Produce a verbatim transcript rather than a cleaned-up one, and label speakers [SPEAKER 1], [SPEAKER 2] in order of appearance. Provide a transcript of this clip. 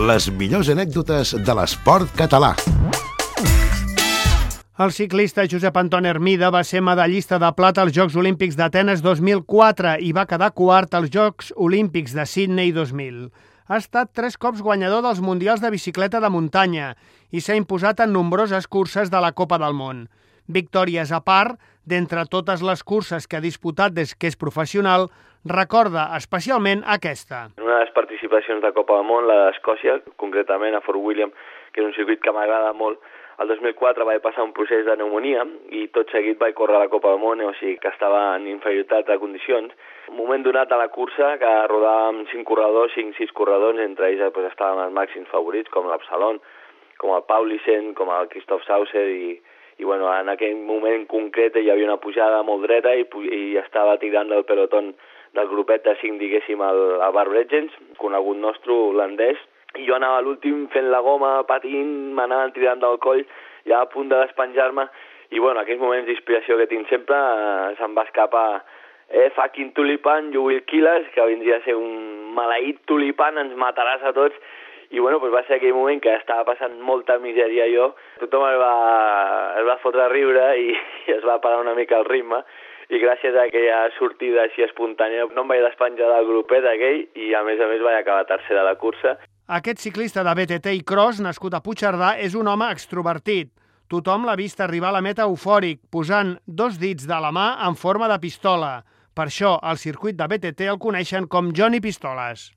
[SPEAKER 1] Les millors anècdotes de l'esport català.
[SPEAKER 2] El ciclista Josep Anton Hermida va ser medallista de plata als Jocs Olímpics d'Atenes dos mil quatre i va quedar quart als Jocs Olímpics de Sydney dos mil. Ha estat tres cops guanyador dels Mundials de bicicleta de muntanya i s'ha imposat en nombroses curses de la Copa del Món. Victòries a part, d'entre totes les curses que ha disputat des que és professional, recorda especialment aquesta.
[SPEAKER 3] Una de les participacions de Copa del Món, la d'Escòcia, concretament a Fort William, que és un circuit que m'agrada molt. El dos mil quatre vaig passar un procés de pneumonia i tot seguit vaig córrer a la Copa del Món, o sigui que estava en inferioritat de condicions. Un moment donat a la cursa que rodàvem cinc corredors, cinc sis corredors, entre ells pues, estaven els màxims favorits, com l'Absalon, com el Paulisen, com el Christoph Sauser, i, i bueno, en aquell moment concret hi havia una pujada molt dreta i, i estava tirant del pelotón del grupet de cinc, diguéssim, el, el Bar Breggens, conegut nostre holandès, i jo anava a l'últim fent la goma, patint, m'anaven tirant del coll, ja a punt de despenjar-me, i bueno, aquells moments d'inspiració que tinc sempre, eh, se'm va escapar eh, fucking tulipan, you will kill us, que vindria a ser un maleït tulipan, ens mataràs a tots, i bueno, pues va ser aquell moment que estava passant molta misèria jo, tothom es va, es va fotre a riure i, i es va parar una mica el ritme, i gràcies a aquella sortida així espontània no em vaig despenjar del grupet aquell i a més a més vaig acabar tercer de la cursa.
[SPEAKER 2] Aquest ciclista de B T T i cross, nascut a Puigcerdà, és un home extrovertit. Tothom l'ha vist arribar a la meta eufòric, posant dos dits de la mà en forma de pistola. Per això, al circuit de B T T el coneixen com Johnny Pistoles.